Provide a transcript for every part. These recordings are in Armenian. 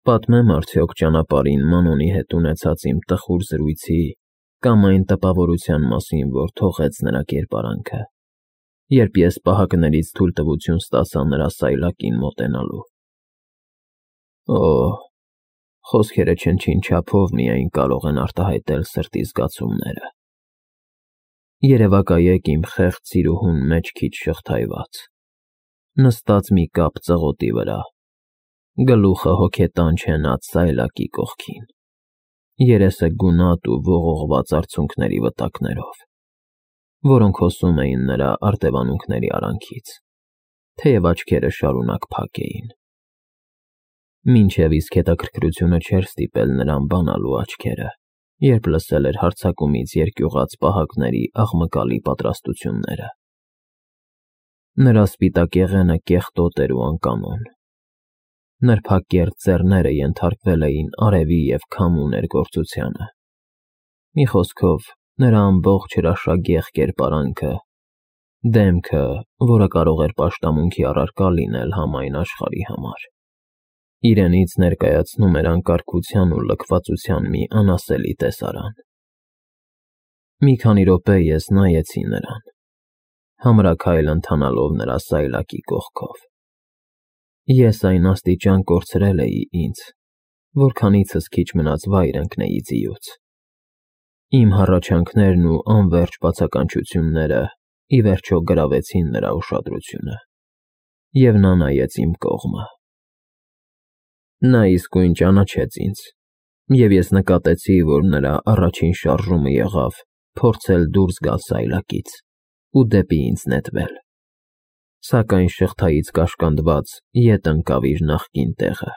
Պատմեմ արդյոք ճանապարհին Մանոնի հետ ունեցած իմ տխուր զրույցի կամ այն տպավորության մասին, որ թողեց նրա կերպարանքը, երբ ես պահակներից թույլտվություն ստացա նրա սայլակին մոտենալու։ Օհ, խոսքերը չնչին չափով միայն կարող են արտահայտել սրտի զգացումները։ Երևակայեք իմ խեղճ սիրուհուն մեջքից շղթայված, նստած մի կապ ծղոտի վրա, գլուխը հոգետանչ հենած սայլակի կողքին, երեսը գունատ ու ողողված արցունքների վտակներով, որոնք հոսում էին նրա արտևանունքների արանքից, թեև աչքերը շարունակ փակ էին։ Մինչև իսկ հետաքրքրությունը չէր ստիպել նրան բանալու աչքերը, երբ լսել էր հարձակումից երկյուղած պահակների աղմկալի պատրաստությունները։ Նրա սպիտակ եղենը կեղտոտ էր ու անկանոն։ Նրբակերտ ձեռները ենթարկվել էին արևի և քամու ներգործությանը։ Մի խոսքով, նրա ամբողջ հրաշագեղ կերպարանքը, դեմքը, որը կարող էր պաշտամունքի առարկա լինել համայն աշխարհի համար, իրենից ներկայացնում էր անկարգության ու լքվածության մի անասելի տեսարան։ Մի քանի րոպե ես նայեցի նրան, համրաքայլ ընթանալով նրա սայլակի կողքով։ Ես այն աստիճան կորցրել էի ինձ, որքանիցս քիչ մնաց վայր ընկնեի ձիուց։ Իմ հառաչանքներն ու անվերջ բացականչությունները ի վերջո գրավեցին նրա ուշադրությունը, և նա նայեց իմ կողմը։ Նա իսկույն ճանաչեց ինձ, և ես նկատեցի, որ նրա առաջին շարժումը եղավ փորձել դուրս գալ սայլակից ու դեպի ինձ նետվել, սակայն շղթայից կաշկանդված ետ ընկավ իր նախկին տեղը։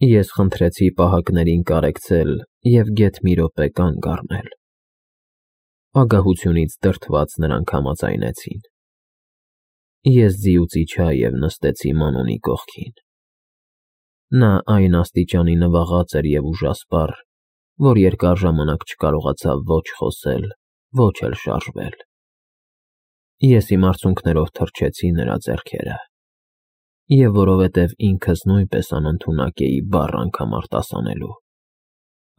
Ես խնդրեցի պահակներին կարեկցել և գեթ մի րոպե կանգ առնել։ Ագահությունից դրդված նրանք համաձայնեցին։ Ես ձիուց իջա և նստեցի Մանոնի կողքին։ Նա այն աստիճանի նվաղած էր և ուժասպառ, որ երկար ժամանակ չկարողացավ ոչ խոսել, ոչ էլ շարժվել։ Ես իմ արցունքներով թռչեցի նրա ձեռքերը, և որովհետև ինքս նույնպես անընդունակ էի բառ անգամ արտասանելու,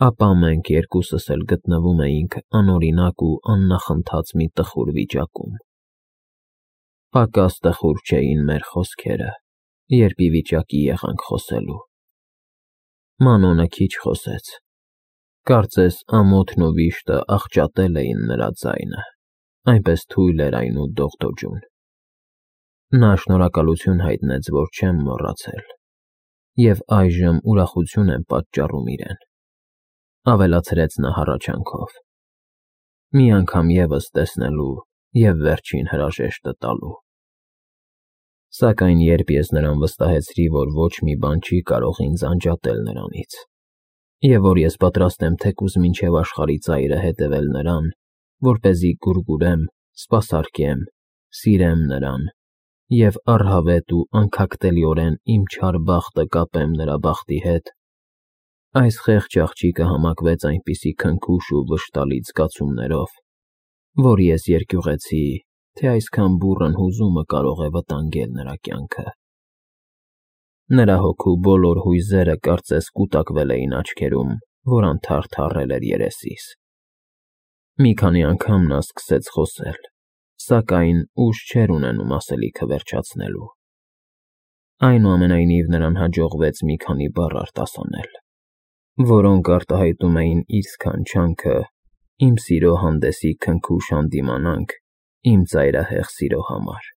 ապա մենք երկուսս էլ գտնվում էինք անօրինակ ու աննախընթաց մի տխուր վիճակում։ Պակաս տխուր չէին մեր խոսքերը, երբ ի վիճակի եղանք խոսելու։ Մանոնը քիչ խոսեց, կարծես ամոթն ու վիշտը աղճատել էին նրա ձայնը, այնպես թույլ էր այն ու դողդոջուն։ Նա շնորհակալություն հայտնեց, որ չեմ մոռացել, և այժմ ուրախություն եմ պատճառում իրեն, ավելացրեց նա հառաչանքով, մի անգամ ևս տեսնելու և վերջին հրաժեշտը տալու։ Սակայն երբ ես նրան վստահեցրի, որ ոչ մի բան չի կարող ինձ անջատել նրանից, և որ ես պատրաստ եմ թեկուզ մինչև աշխարհի ծայրը հետևել նրան, որպեսզի գուրգուրեմ, սպասարկեմ, սիրեմ նրան և առհավետ ու անքակտելիորեն իմ չար բախտը կապեմ նրա բախտի հետ, այս խեղճ աղջիկը համակվեց այնպիսի քնքուշ ու վշտալից զգացումներով, որ ես երկյուղեցի, թե այսքան բուռն հուզումը կարող է վտանգել նրա կյանքը։ Նրա հոգու բոլոր հույզերը կարծես կուտակվել էին աչքերում, որ անթարթ առել էր երեսիս։ Մի քանի անգամ նա սկսեց խոսել, սակայն ուժ չէր ունենում ասելիքը վերջացնելու։ Այնուամենայնիվ նրան հաջողվեց մի քանի բառ արտասանել, որոնք արտահայտում էին իր սքանչանքը, իմ սիրո հանդեսի քնքուշ հանդիմանանք իմ ծայրահեղ սիրո համար։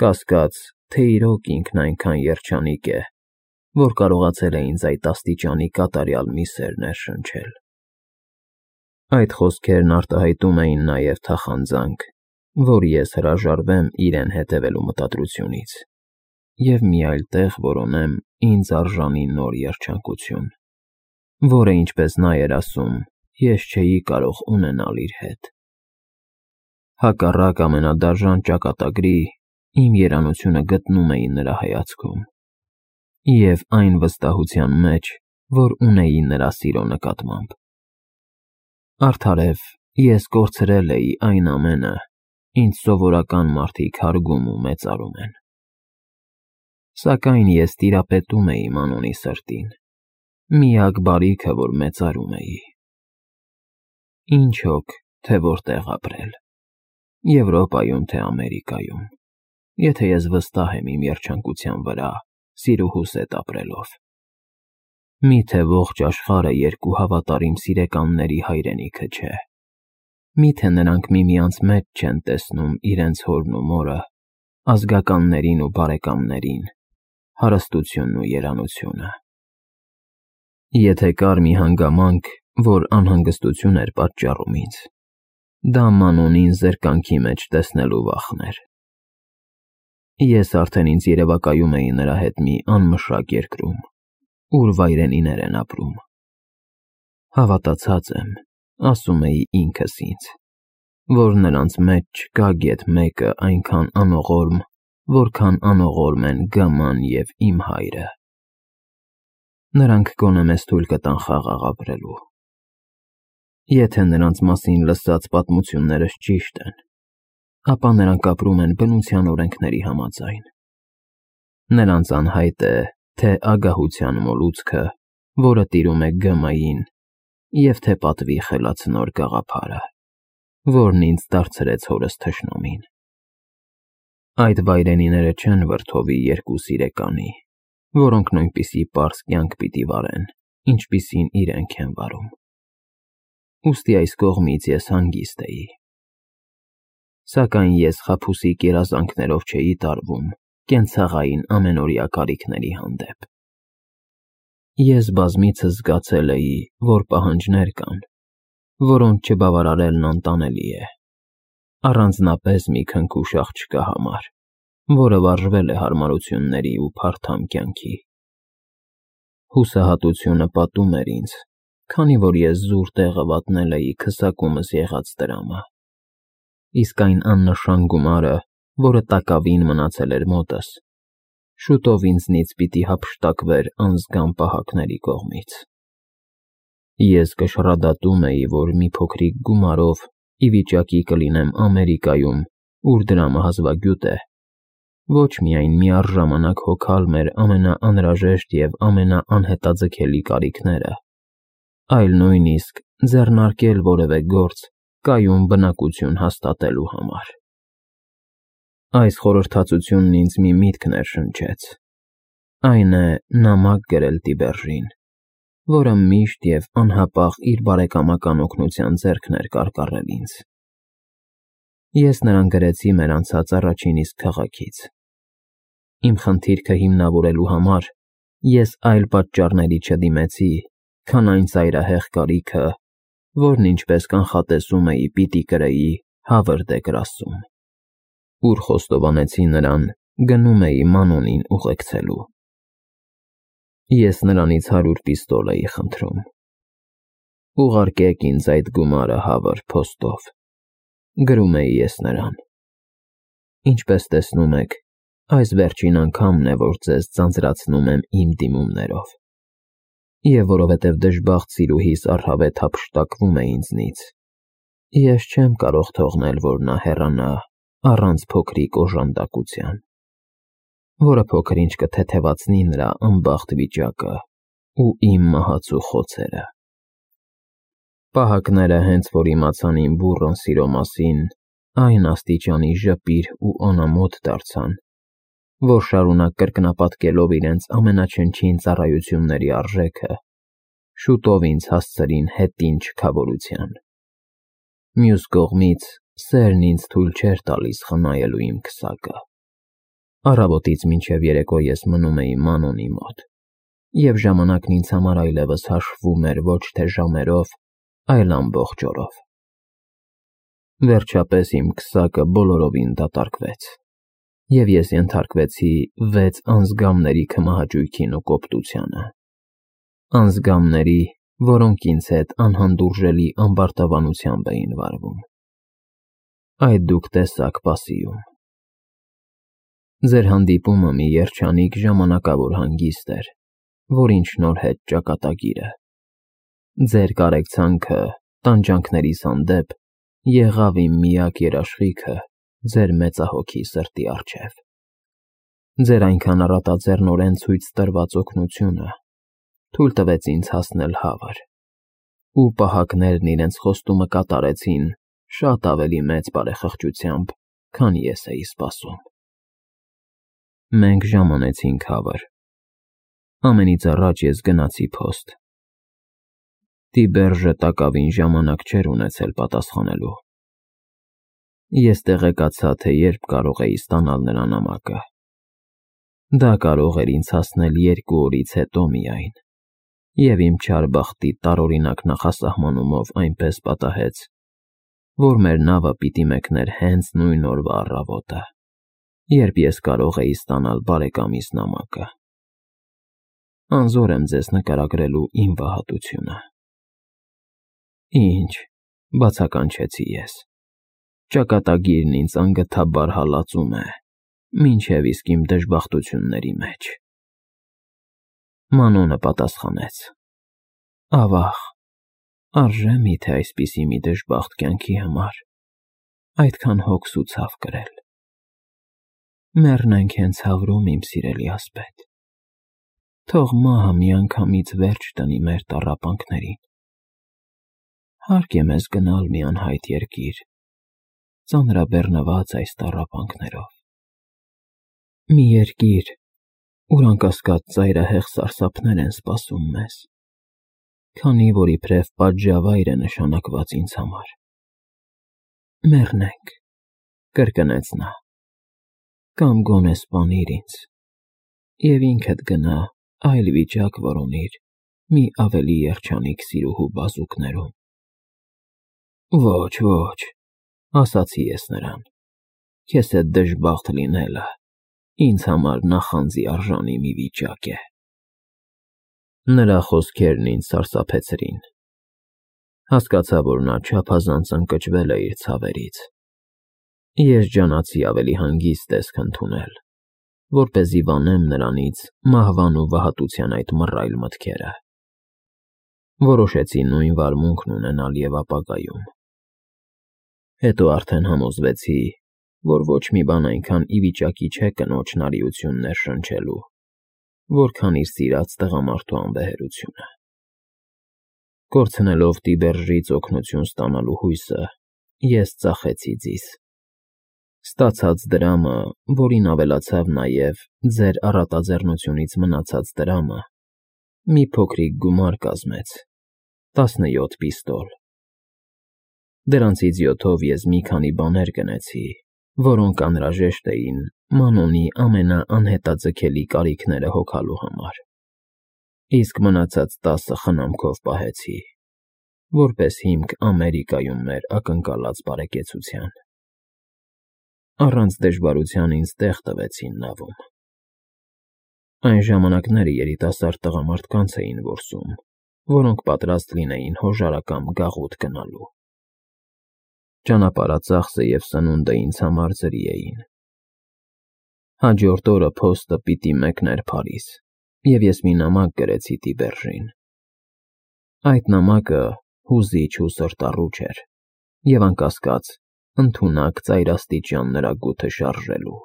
Կասկած, թե իրոք ինքն այնքան երջանիկ է, որ կարողացել է ինձ այդ աստիճանի կատարյալ մի սեր ներշնչել։ Այդ խոսքերն արտահայտում էին նաև թախանձանք, որ ես հրաժարվեմ իրեն հետևելու մտադրությունից և մի այլ տեղ որոնեմ ինձ արժանի նոր երջանկություն, որը, ինչպես նա էր ասում, ես չէի կարող ունենալ իր հետ։ Հակառակ ամենադաժան ճակատագրի, իմ երանությունը գտնում էի նրա հայացքում և այն վստահության մեջ, որ ունեի նրա սիրո նկատմամբ։ Արդարև, ես կորցրել էի այն ամենը, ինչ սովորական մարդիկ հարգում ու մեծարում են։ Սակայն ես տիրապետում էի Մանոնի սրտին, միակ բարիքը, որ մեծարում էի։ Ինչ հոգ, թե որտեղ ապրել, Եվրոպայում, թե Ամերիկայում, եթե ես վստահ եմ իմ երջանկության վրա, սիրուհուս հետ ապրելով։ Միթե ողջ աշխարհը երկու հավատարիմ սիրեկանների հայրենիքը չէ։ Միթե նրանք միմյանց մեջ չեն տեսնում իրենց հորն ու մորը, ազգականներին ու բարեկամներին, հարստությունն ու երանությունը։ Եթե կար մի հանգամանք, որ անհանգստություն էր պատճառում ինձ, դա Մանոնին զրկանքի մեջ տեսնելու վախն էր։ Ես արդեն ինձ երևակայում էի նրա հետ մի անմշակ երկրում, ուր վայրենիներ են ապրում։ Հավատացած եմ, ասում էի ինքս ինձ, որ նրանց մեջ չկա գեթ մեկը այնքան անողորմ, որքան անողորմ են Գաման և իմ հայրը։ Նրանք գոնե մեզ թույլ կտան խաղաղ ապրելու։ Եթե նրանց մասին լսած պատմություններս ճիշտ են, ապա նրանք ապրում են բնության օրենքների համաձայն։ Նրանց անհայտ է թե ագահության մոլուցքը, որը տիրում է Գամային, և թե պատվի խելացնոր գաղափարը, որն ինձ դարձրեց հորս թշնամին։ Այդ վայրենիները չեն վրդովի երկու սիրեկանի, որոնք նույնպիսի պարզ կյանք պիտի վարեն, ինչպիսին իրենք են վարում։ Ուստի այս կողմից ես հանգիստ էի։ Սակայն ես խաբուսիկ երազանքներով չէի տարվում կենցաղային ամենօրյա կարիքների հանդեպ։ Ես բազմիցս զգացել էի, որ պահանջներ կան, որոնց չբավարարելն անտանելի է, առանձնապես մի քնքուշ աղջկա համար, որը վարժվել է հարմարությունների ու փարթամ կյանքի։ Հուսահատությունը պատում էր ինձ, քանի որ ես զուր տեղը վատնել էի քսակումս եղած դրամը, իսկ այն աննշան գումարը, որը տակավին մնացել էր մոտս, շուտով ինձնից պիտի հափշտակվեր անզգան պահակների կողմից։ Ես կշռադատում էի, որ մի փոքրիկ գումարով ի վիճակի կլինեմ Ամերիկայում, ուր դրամը հազվագյուտ է, ոչ միայն միառժամանակ հոգալ մեր ամենաանհրաժեշտ և ամենաանհետաձգելի կարիքները, այլ նույնիսկ ձեռնարկել որևէ գործ կայուն բնակություն հաստատելու համար։ Այս խորհրդածությունն ինձ մի միտք ներշնչեց, այն է նամակ գրել Տիբերժին, որը միշտ և անհապաղ իր բարեկամական օգնության ձեռքն էր կարկառել ինձ։ Ես նրան գրեցի մեր անցած առաջին իսկ քաղաքից։ Իմ խնդիրքը հիմնավորելու համար ես այլ պատճառների չդիմեցի, քան այն ծայրահեղ կարիքը, որն ինչպես կանխատեսում էի պիտի կրեի Հավրդ Էգրասում, ուր խոստովանեցի նրան գնում էի Մանոնին ուղեկցելու։ Ես նրանից 100 պիստոլ էի խնդրում։ Ուղարկեք ինձ այդ գումարը Հավր փոստով, գրում էի ես նրան։ Ինչպես տեսնում եք, այս վերջին անգամն է, որ ձեզ ձանձրացնում եմ իմ դիմումներով, և որովհետև դժբախտ սիրուհիս առհավետ հափշտակվում է ինձնից, ես չեմ կարող թողնել, որ նա հեռանա առանց փոքրիկ օժանդակության, որը փոքր-ինչ կթեթևացնի նրա անբախտ վիճակը ու իմ մահացու խոցերը։ Պահակները հենց որ իմացան իմ բուռն սիրո մասին, այն աստիճանի ժպիր ու անամոթ դարձան, որ շարունակ կրկնապատկելով իրենց ամենաչնչին ծառայությունների արժեքը, շուտով ինձ հասցրին հետին չքավորության։ Մյուս կողմից, սերն ինձ թույլ չէր տալիս խնայելու իմ քսակը։ Առավոտից մինչև երեկո ես մնում էի Մանոնի մոտ, և ժամանակն ինձ համար այլևս հաշվում էր ոչ թե ժամերով, այլ ամբողջ օրով։ Վերջապես իմ քսակը բոլորովին դատարկվեց, և ես ենթարկվեցի 6 անձգամների քմահաճույքին ու կոպտությանը։ Անձգամների, որոնք ինձ հետ անհանդուրժելի ամբարտավանությամբ էին վարվում։ Այդ դուք տեսաք պասիում։ Ձեր հանդիպումը մի երջանիկ ժամանակավոր հանգիստ էր, որին շնորհեց ճակատագիրը։ Ձեր կարեկցանքը տանջանքներիս հանդեպ եղավ իմ միակ երաշխիքը ձեր մեծահոգի սրտի առջև։ Ձեր այնքան առատաձեռնորեն ցույց տրված օգնությունը թույլ տվեց ինձ հասնել հավր, ու պահակներն իրենց խոստումը կատարեցին շատ ավելի մեծ բարեխղճությամբ, քան ես էի սպասում։ Մենք ժամանեցինք հավր։ Ամենից առաջ ես գնացի փոստ։ Տիբերժը տակավին ժամանակ չէր ունեցել պատասխանելու։ Ես տեղեկացա, թե երբ կարող էի ստանալ նրա նամակը։ Դա կարող էր ինձ հասնել 2 օրից հետո միայն, և իմ չար բախտի տարօրինակ նախասահմանումով այնպես պատահեց, որ մեր նավը պիտի մեկներ հենց նույն օրվա առավոտը, երբ ես կարող էի ստանալ բարեկամիս նամակը։ Անզոր եմ ձեզ նկարագրելու իմ վհատությունը։ Ինչ, բացականչեցի ես։ Ճակատագիրն ինձ անգթաբար հալածում է, մինչև իսկ իմ դժբախտությունների մեջ։ Մանոնը պատասխանեց. Ավաղ, արժե միթե այսպիսի մի դժբախտ կյանքի համար այդքան հոգս ու ցավ կրել։ Մեռնենք հենց հավրում, իմ սիրելի ասպետ։ Թող մահը միանգամից վերջ տնի մեր տառապանքներին։ Հարկ է մեզ գնալ մի անհայտ երկիր, ծանրաբեռնված այս տառապանքներով։ Մի երկիր, ուր անկասկած ծայրահեղ սարսափներ են սպասում մեզ, քանի որ իբրև պատժավայր է նշանակված ինձ համար։ Մեռնենք, կրկնեց նա, կամ գոնե սպանիր ինձ, և ինքդ գնա այլ վիճակ որոնիր մի ավելի երջանիկ սիրուհու բազուկներում։ Ոչ, ոչ, ասացի ես նրան, քեզ հետ դժբախտ լինելը ինձ համար նախանձի արժանի մի վիճակ է։ Նրա խոսքերն ինձ սարսափեցրին։ Հասկացա, որ նա չափազանց ընկճվել է իր ցավերից։ Ես ջանացի ավելի հանգիստ տեսք ընդունել, որպեսզի վանեմ նրանից մահվան ու վհատության այդ մռայլ մտքերը։ Որոշեցի նույն վարմունքն ունենալ և ապագայում։ Հետո արդեն համոզվեցի, որ ոչ մի բան այնքան ի վիճակի չէ կնոջ նարիություն ներշնչելու, որքան իր սիրած տղամարդու անվեհերությունը։ Կորցնելով Տիբերժից օգնություն ստանալու հույսը, ես ծախեցի ձիզ։ Ստացած դրամը, որին ավելացավ նաև ձեր առատաձեռնությունից մնացած դրամը, մի փոքրիկ գումար կազմեց, 17 պիստոլ։ Դրանցից 7-ով ես մի քանի բաներ գնեցի, որոնք անհրաժեշտ էին Մանոնի ամենաանհետաձգելի կարիքները հոգալու համար, իսկ մնացած 10-ը խնամքով պահեցի, որպես հիմք Ամերիկայում մեր ակնկալած բարեկեցության։ Առանց դժվարության ինձ տեղ տվեցին նավում։ Այն ժամանակները երիտասարդ տղամարդկանց էին որսում, որոնք պատրաստ լինեին հոժարակամ գաղութ գնալու։ Ճանապարհածախսը և սնունդը ինձ համար ձրի էին։ Հաջորդ օրը փոստը պիտի մեկներ Փարիզ, և ես մի նամակ գրեցի Տիբերժին։ Այդ նամակը հուզիչ ու սրտառուչ էր, և անկասկած ընդունակ ծայրաստիճան նրա գութը շարժելու,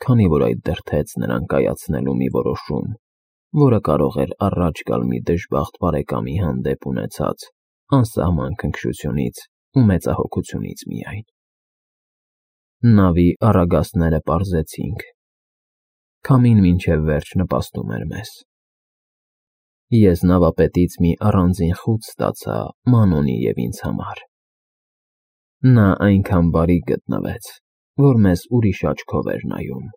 քանի որ այդ դրդեց նրան կայացնելու մի որոշում, որը կարող էր առաջ գալ մի դժբախտ բարեկամի հանդեպ ունեցած անսահման քնքշությունից ու մեծահոգությունից միայն։ Նավի առագաստները պարզեցինք։ Քամին մինչև վերջ նպաստում էր մեզ։ Ես նավապետից մի առանձին խուտ ստացա Մանոնի և ինձ համար։ Նա այնքան բարի գտնվեց, որ մեզ ուրիշ աչքով էր նայում,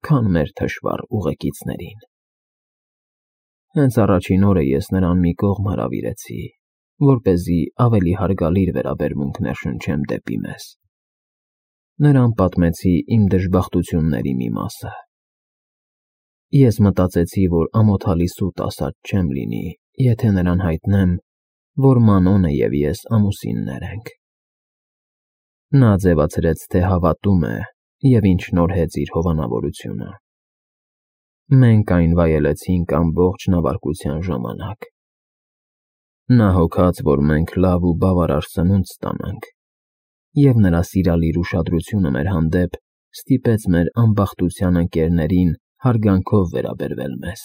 քան մեր թշվառ ուղեկիցներին։ Հենց առաջին օրը ես նրան մի կողմ հրավիրեցի, որպեսզի ավելի հարգալից վերաբերմունք ներշնչեմ դեպի մեզ։ Նրան պատմեցի իմ դժբախտությունների մի մասը։ Ես մտածեցի, որ ամոթալի սուտ ասած չեմ լինի, եթե նրան հայտնեմ, որ Մանոնը և ես ամուսիններ ենք։ Նա ձևացրեց, թե հավատում է և ինձ շնորհեց իր հովանավորությունը։ Մենք այն վայելեցինք ամբողջ նավարկության ժամանակ։ Նա հոգաց, որ մենք լավ ու բավարար սնունդ ստանանք, և նրա սիրալիր ուշադրությունը մեր հանդեպ ստիպեց մեր անբախտության ընկերներին հարգանքով վերաբերվել մեզ։